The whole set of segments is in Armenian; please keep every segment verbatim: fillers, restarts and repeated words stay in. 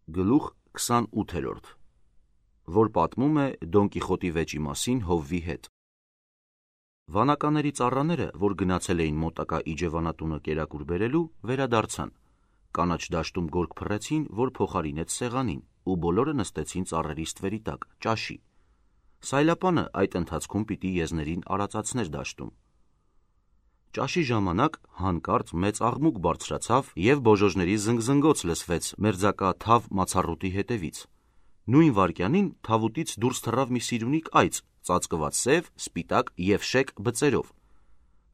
Գլուխ քսանութերորդ, որ պատմում է Դոն Կիխոտի վեճի մասին Հովվի հետ։ Վանականների ծառաները, որ գնացել էին մոտակա իջևանատունը կերակուր բերելու, վերադարձան։ Կանաչ դաշտում գորգ փռեցին, որ փոխարինեց սեղանին, ու բոլորը նստեցին ծառերի ստվերի տակ, ճաշի։ Սայլապանը այդ ընթացքում պիտի եզներին արածացներ դաշտում։ Ճաշի ժամանակ հանկարծ մեծ աղմուկ բարձրացավ և բոժոժների զնգզնգոց լսվեց մերձակա թավ մացառուտի հետևից։ Նույն վայրկյանին թավուտից դուրս թռավ մի սիրունիկ այծ, ծածկված սև, սպիտակ և շեկ բծերով։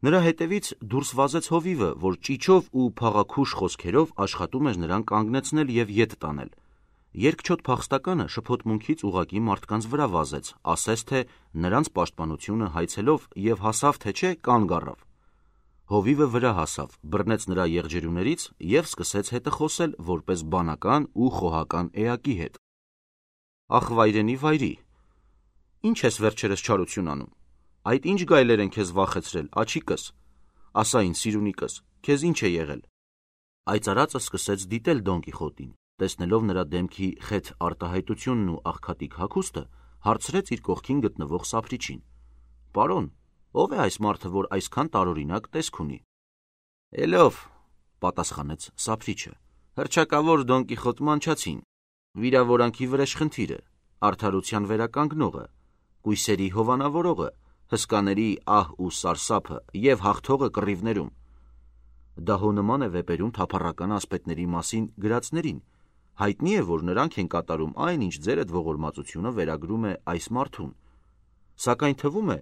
Նրա հետևից դուրս վազեց հովիվը, որ ճիչով ու փաղաքուշ խոսքերով աշխատում էր նրան կանգնեցնել և ետ տանել։ Երկչոտ փախստականը շփոթմունքից ուղղակի մարդկանց վրա վազեց, ասես թե նրանց պաշտպանությունը հայցելով և հասավ թե չէ կանգ առավ։ Հովիվը վրա հասավ, բռնեց նրա եղջերուներից և սկսեց հետը խոսել որպես բանական ու խոհական էակի հետ։ Ախ վայրենի վայրի, ի՞նչ ես վերջերս չարություն անում, այդ ի՞նչ գայլեր են քեզ վախեցրել, աջիկս, ասա ինձ սիրունիկս, քեզ ի՞նչ է եղել։ Այծարածը սկսեց դիտել Դոն Կիխոտին, տեսնելով նրա դեմքի խեթ արտահայտությունն ու աղքատիկ հագուստը, հարցրեց իր կողքին գտնվող սափրիչին. Պարոն, ո՞վ է այս մարդը, որ այսքան տարօրինակ տեսք ունի։ Էլով, պատասխանեց սափրիչը, հռչակավոր Դոն Կիխոտ Մանչացին, վիրավորանքի վրեժխնդիրը, արդարության վերականգնողը, կույսերի հովանավորողը, հսկաների ահ ու սարսափը և հաղթողը կռիվներում։ Դա հո նման է վեպերում թափառական ասպետների մասին գրածներին, հայտնի է, որ նրանք են կատարում այն, ինչ ձերդ ողորմածությունը վերագրում է այս մարդուն, սակայն թվում է,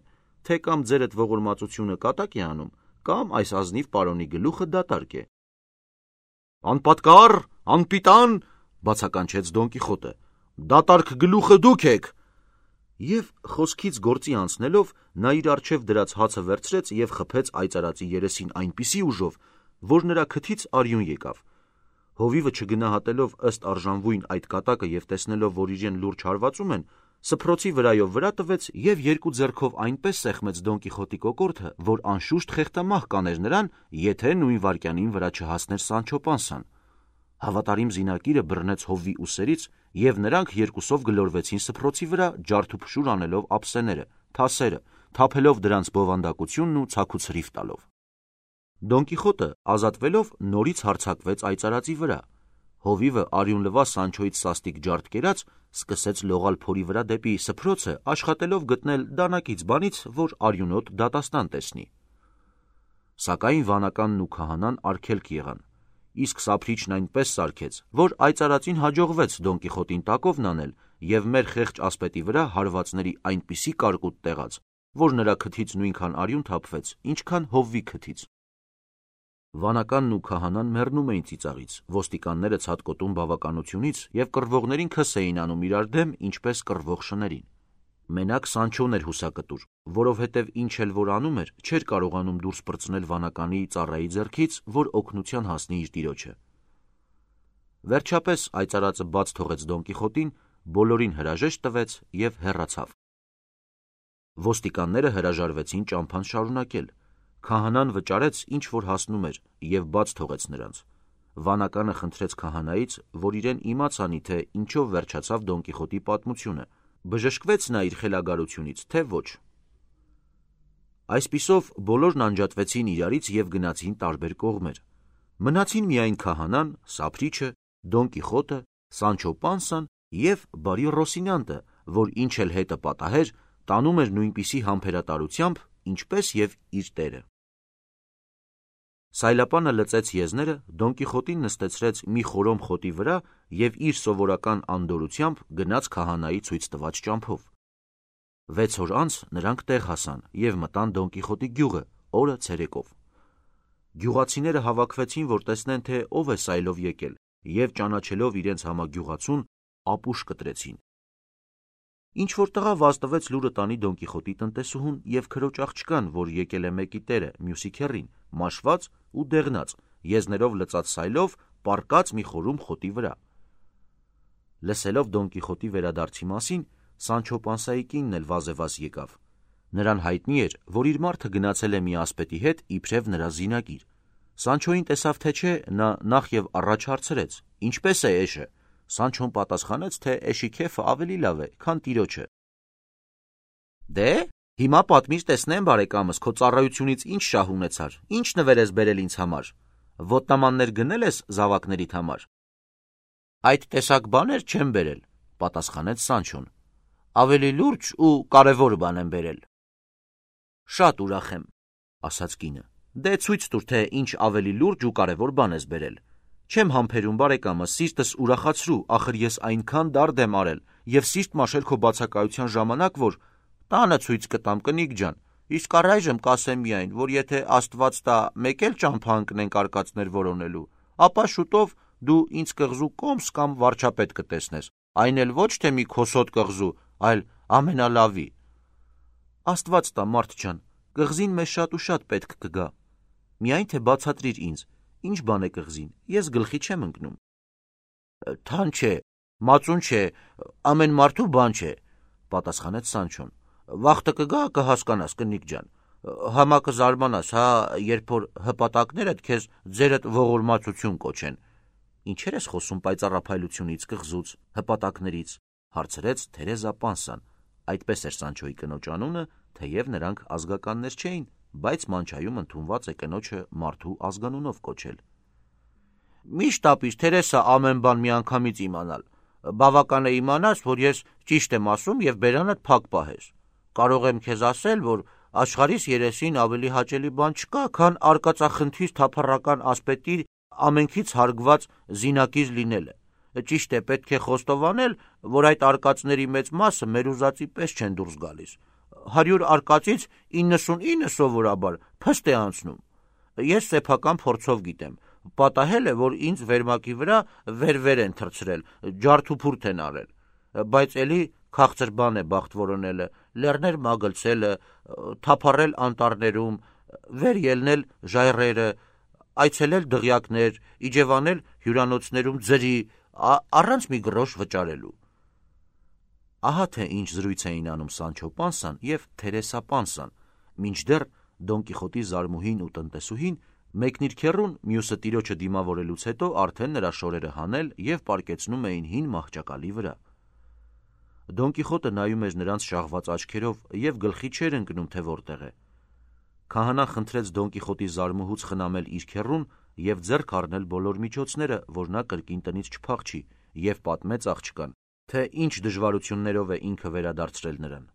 թե կամ ձերդ ողորմածությունը կատակ է անում, կամ այս ազնիվ պարոնի գլուխը դատարկ է։ Անպատկառ, անպիտան, բացականչեց Դոն Կիխոտը, դատարկ գլուխը դուք եք։ Եվ խոսքից գործի անցնելով նա իր առջև դրած հացը վերցրեց և խփեց այծարածի երեսին այնպիսի ուժով, որ նրա քթից արյուն եկավ։ Հովիվը չգնահատելով ըստ արժանվույն այդ կատակը և տեսնելով, որ իրեն լուրջ հարվածում են, սփռոցի վրայով վրա տվեց և երկու ձեռքով այնպես սեղմեց Դոն Կիխոտի կոկորդը, որ անշուշտ խեղդամահ կաներ նրան, եթե նույն վայրկյանին վրա չհասներ Սանչո Պանսան։ Հավատարիմ զինակիրը բռնեց Հովվի ուսերից, և նրանք երկուսով գլորվեցին սփռոցի վրա, ջարդուփշուր անելով ափսեները, թասերը, թափելով դրանց բովանդակությունն ու ցաքուցրիվ տալով։ Դոն Կիխոտը, ազատվելով, նորից հարձակվեց այծարածի վրա։ Հովիվը արյունլվա Սանչոյից սաստիկ ջարդ կերած, սկսեց լողալ փորի վրա դեպի սփռոցը, աշխատելով գտնել դանակից բանից, որ արյունոտ դատաստան տեսնի։ Սակայն վանականն ու քահանան արգելք եղան, իսկ սափրիչն այնպես սարքեց, որ այծարածին հաջողվեց Դոն Կիխոտին տակովն անել և մեր խեղճ ասպետի վրա հարվածների այնպիսի կարկուտ տեղաց, որ նրա քթից նույնքան արյուն թափվեց, ինչքան Հովվի քթից։ Վանականն ու քահանան մեռնում էին ծիծաղից, ոստիկանները ցատկոտում բավականությունից և կռվողներին քս էին անում իրար դեմ, ինչպես կռվող շներին։ Մենակ Սանչոն էր հուսակտուր, որովհետև ինչ էլ որ անում էր, չէր կարողանում դուրս պրծնել վանականի ծառայի ձեռքից, որ օգնության հասնի իր տիրոջը։ Վերջապես այծարածը բաց թողեց Դոն Կիխոտին, բոլորին հրաժեշտ տվեց և հեռացավ։ Ոստիկանները հրաժարվեցին ճամփան շարունակել։ Քահանան վճարեց, ինչ որ հասնում էր, և բաց թողեց նրանց։ Վանականը խնդրեց քահանայից, որ իրեն իմաց անի, թե ինչով վերջացավ Դոն Կիխոտի պատմությունը, բժշկվեց նա իր խելագարությունից, թե ոչ։ Այսպիսով բոլորն անջատվեցին իրարից և գնացին տարբեր կողմեր։ Մնացին միայն քահանան, սափրիչը, Դոն Կիխոտը, Սանչո Պանսան և բարի Ռոսինյանտը, որ ինչ էլ հետը պատահեր, տանում էր նույնպիսի համբերատարությամբ, ինչպես և իր տերը։ Սայլապանը լծեց եզները, Դոն Կիխոտին նստեցրեց մի խորոմ խոտի վրա և իր սովորական անդորրությամբ գնաց քահանայի ցույց տված ճամփով։ Վեց օր անց նրանք տեղ հասան և մտան Դոն Կիխոտի գյուղը, օրը ցերեկով։ Գյուղացիները հավաքվեցին, որ տեսնեն, թե ով է սայլով եկել, և ճանաչելով իրենց համագյուղացուն, ապուշ կտրեցին։ Ինչ-որ տղա վազտվեց լուրը տանի Դոն Կիխոտի տնտեսուհուն և քրոջ աղջկան, որ եկել է մեկի տերը, մյուսի քեռին, մաշված ու դեղնած, եզներով լծած սայլով, պառկած մի խորում խոտի վրա։ Լսելով Դոն Կիխոտի վերադարձի մասին, Սանչո Պանսայի կինն էլ վազեվազ եկավ։ Նրան հայտնի էր, որ իր մարդը գնացել է մի ասպետի հետ իբրև նրա զինակիր։ Սանչոին տեսավ թե չէ, նա նախ և առաջ հարցրեց. Ինչպե՞ս է էշը։ Սանչոն պատասխանեց, թե էշիքեֆը ավելի լավ է, քան տիրոջը։ Դե, հիմա պատմից տեսնեմ, բարեկամս, քո ծառայությունից ինչ շահ ունեցար, ինչ նվեր ես բերել ինձ համար, ոտնամաններ գնել ես զավակներիդ համար։ Այդ տեսակ բաներ չեմ բերել, պատասխանեց Սանչոն, ավելի լուրջ ու կարևոր բան եմ բերել։ Շատ ուրախ եմ, ասաց կինը, դե ցույց տուր, թե ինչ ավելի լուրջ ու կարևոր բան ես բերել։ Չեմ համբերում, բարեկամս, սիրտս ուրախացրու, ախր ես այնքան դարդ եմ արել եւ սիրտ մաշել քո բացակայության ժամանակ, որ տանը ցույց կտամ, կնիկ ջան, իսկ առայժմ կասեմ միայն, որ եթե Աստված տա մեկ էլ ճամփա ընկնենք արկածներ որոնելու, ապա շուտով դու ինձ կղզու կոմս կամ վարչապետ կտեսնես, այն էլ ոչ թե մի քոսոտ կղզու, այլ ամենալավի։ Աստված տա, մարդ ջան, կղզին մեզ շատ ու շատ պետք կգա։ Միայն թե բացատրիր ինձ, ինչ բան է կղզին, ես գլխի չեմ ընկնում։ Թան չէ, մածուն չէ, ամեն մարդու բան չէ, պատասխանեց Սանչոն։ Վախտը կգա, կհասկանաս, կնիկ ջան, համա կզարմանաս, հա, երբ որ հպատակներդ քեզ ձերդ ողորմածություն կոչեն։ Ինչեր ես խոսում պայծառափայլությունից, կղզուց, հպատակներից, հարցրեց Թերեզա Պանսան։ Այդպես էր Սանչոյի կնոջ անունը, թեև նրանք ազգականներ չէին, բայց մանչայում ընդունված է կնոջը մարդու ազգանունով կոչել։ Միշտ ապիր, Թերեսա, ամեն բան միանգամից իմանալ։ Բավական է իմանաս, որ ես ճիշտ եմ ասում եւ բերանդ փակ պահես։ Կարող եմ քեզ ասել, որ աշխարհիս երեսին ավելի հաճելի բան չկա, քան արկածախնդիր թափառական ասպետի ամենքից հարգված զինակից լինելը։ Ճիշտ է, պետք է խոստովանել, որ այդ արկածների մեծ մասը մեր ուզածի պես չեն դուրս գալիս։ Հարյուր արկածից իննսունինը սովորաբար փստ է անցնում։ Ես սեփական փորձով գիտեմ, պատահել է, որ ինձ վերմակի վրա վեր-վեր են թռցրել, ջարդուփուրդ են արել, բայց էլի քաղցր բան է բախտ որոնելը, լեռներ մագլցելը, թափառել անտառներում, վեր ելնել ժայռերը, այցելել դղյակներ, իջևանել հյուրանոցներում ձրի, առանց մի գրոշ վճարելու։ Ահա թե ինչ զրույց էին անում Սանչո Պանսան եւ Թերեսա Պանսան, մինչդեռ Դոն Կիխոտի զարմուհին ու տնտեսուհին մեկն իր քեռուն, մյուսը տիրոջը դիմավորելուց հետո արդեն նրա շորերը հանել եւ պարկեցնում էին հին մահճակալի վրա։ Դոն Կիխոտը նայում էր նրանց շաղված աչքերով եւ գլխի չէր ընկնում, թե որտեղ է։ Քահանան խնդրեց Դոն Կիխոտի զարմուհուց խնամել իր քեռուն եւ ձեռք առնել բոլոր միջոցները, որ նա կրկին տնից չփախչի, եւ պատմեց աղջկան, թե ինչ դժվարություններով է ինքը վերադարձրել նրան։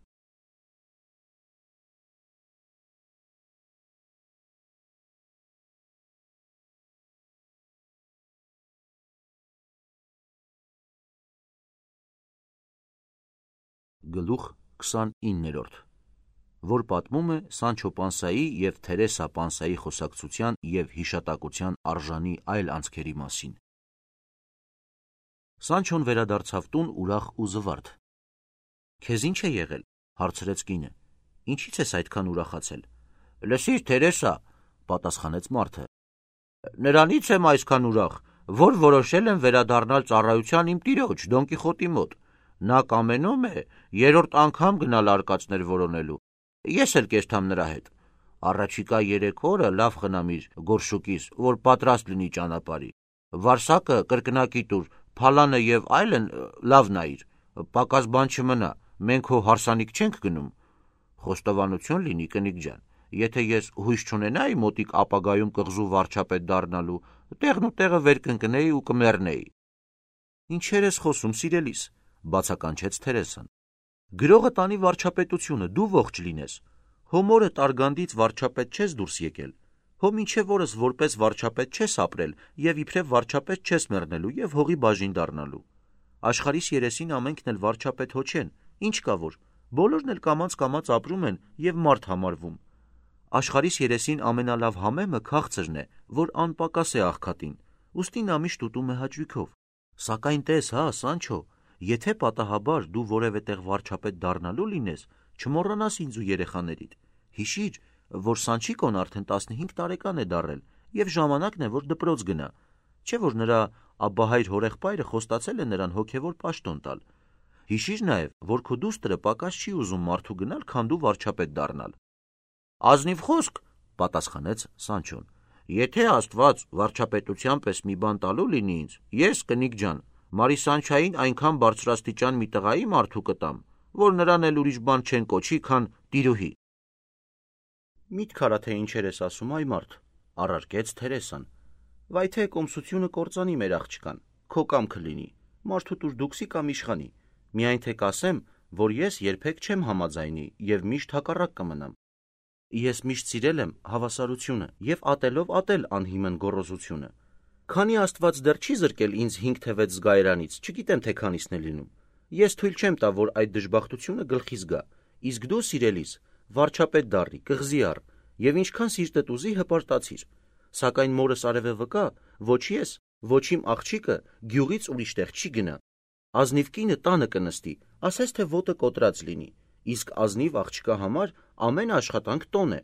Գլուխ քսանիններորդ, որ պատմում է Սանչո Պանսայի եւ Թերեսա Պանսայի խոսակցության եւ հիշատակության արժանի այլ անցքերի մասին։ Սանչոն վերադարձավ տուն ուրախ ու զվարթ։ Քեզ ինչ է եղել, հարցրեց կինը։ Ինչից ես այդքան ուրախացել։ Լսիր, Թերեսա, պատասխանեց մարդը։ Նրանից եմ այսքան ուրախ, որ որոշել եմ վերադառնալ ծառայության իմ տիրոջ Դոն Կիխոտի մոտ։ Նա կամենում է երրորդ անգամ գնալ արկածներ որոնելու։ Ես էլ կերտամ նրա հետ։ Առաջիկա երեք օրը լավ խնամիր գորշուկիս, որ պատրաստ լինի ճանապարհի։ Վարսակը կրկնակի տուր, փալանը եւ այլն լավ նայիր։ Պակաս բան չմնա, մենք հո հարսանիք չենք գնում։ Խոստովանություն լինի, կնիկ ջան, եթե ես հույս չունենայի մոտիկ ապագայում կղզու վարչապետ դառնալու, տեղն ու տեղը վեր կընկնեի ու կմեռնեի։ Ինչեր ես խոսում, սիրելիս, բացականչեց Թերեսան։ Գրողը տանի վարչապետությունը, դու ողջ լինես։ Հո մորը Տարգանդից վարչապետ չես դուրս եկել։ Հո մինչև օրս որպես վարչապետ չես ապրել եւ իբրև վարչապետ չես մեռնելու եւ հողի բաժին դառնալու։ Աշխարհիս երեսին ամենքն էլ վարչապետ հո չեն, ինչ կա որ, բոլորն էլ կամաց-կամաց ապրում են եւ մարդ համարվում։ Աշխարհիս երեսին ամենալավ համեմը քաղցրն է, որ անպակաս է աղքատին, ուստի նա միշտ ուտում է հաճույքով։ Սակայն տես, հա, Սանչո, եթե պատահաբար դու որևէ տեղ վարչապետ դառնալու լինես, չմոռանաս ինձ ու երեխաներիդ։ Հիշիր, որ Սանչիկոն արդեն տասնհինգ տարեկան է դառել եւ ժամանակն է, որ դպրոց գնա, չէ՞ որ նրա աբահայր հորեղբայրը խոստացել է նրան հոգեվոր պաշտոն տալ։ Հիշիր նաեւ, որ քո դուստրը պակաս չի ուզում մարդու գնալ, քան դու վարչապետ դառնալ։ Ազնիվ խոսք, պատասխանեց Սանչոն։ Եթե Աստված վարչապետության պես մի բան տալու լինի ինձ, ես, կնիկ ջան, Մարիսանչային այնքան բարձրաստիճան մի տղայի մարդու կտամ, որ նրան էլ ուրիշ բան չեն կոչի, քան տիրուհի։ Միտք արա, թե ինչեր ես ասում, այ մարդ, առարկեց Թերեսան։ Վայ թե կոմսությունը կործանի մեր աղջկան, քո կամքը լինի, մարդու տուր դուքսի կամ իշխանի, միայն թե կասեմ, որ ես երբեք չեմ համաձայնի և միշտ հակառակ կմնամ։ Ես միշտ սիրել եմ հավասարությունը և ատելով ատել անհիմն գոռոզությունը։ Քանի Աստված դեռ չի զրկել ինձ հինգ թե վեց զգայարանից, չգիտեմ թե քանիսն է լինում։ Ես թույլ չեմ տա, որ այդ դժբախտությունը գլխիս գա, իսկ դու սիրելիս, վարչապետ դառի, կղզի առ, և ինչքան սիրտդ ուզի հպարտացիր, սակայն մորս արևը վկա, ոչ ես, ոչ իմ աղջիկը գյուղից ուրիշ տեղ չի գնա։ Ազնիվ կինը տանը կնստի, ասես թե ոտը կոտրած լինի, իսկ ազնիվ աղջկա համար ամեն աշխատանք տոն է։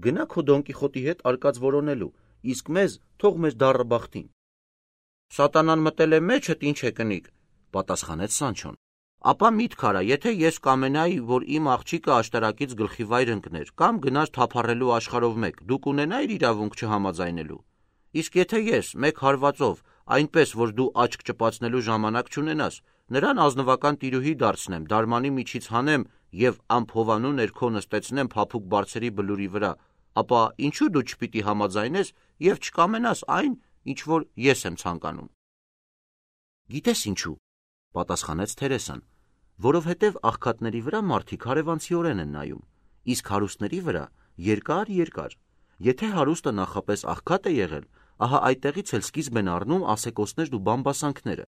Գնա քո Դոն Կիխոտի հետ արկած որոնելու, իսկ մեզ թող մեր դառը բախտին։ Սատանան մտել է մեջդ, ինչ է կնիկ, պատասխանեց Սանչոն։ Ապա միտք արա, եթե ես կամենայի, որ իմ աղջիկը աշտարակից գլխի վայր ընկներ, կամ գնար թափառելու աշխարհով մեկ, դու կունենայիր իրավունք չհամաձայնելու։ Իսկ եթե ես, մեկ հարվածով, այնպես որ դու աչք ճպացնելու ժամանակ չունենաս, նրան ազնվական տիրուհի դարձնեմ, դարմանի միջից հանեմ և ամփովանու ներքո նստեցնեմ փափուկ բարձրի բլուրի վրա, ապա ինչու դու չպիտի համաձայնես և չկամենաս այն, ինչ որ ես եմ ցանկանում։ Գիտես ինչու, պատասխանեց Թերեսան, որովհետև աղքատների վրա մարդիկ հարևանցիորեն են նայում, իսկ հարուստների վրա երկար-երկար։ Եթե հարուստը նախապես աղքատ է եղել, ահա այդտեղից էլ սկիզբ են առնում ասեկոսներն ու բամբասանքները։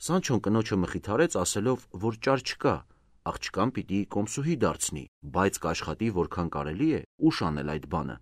Սանչոն կնոջը մխիթարեց ասելով, որ ճար չկա, աղջկան պիտի կոմսուհի դարձնի, բայց կաշխատի որքան կարելի է ուշ անել այդ բանը։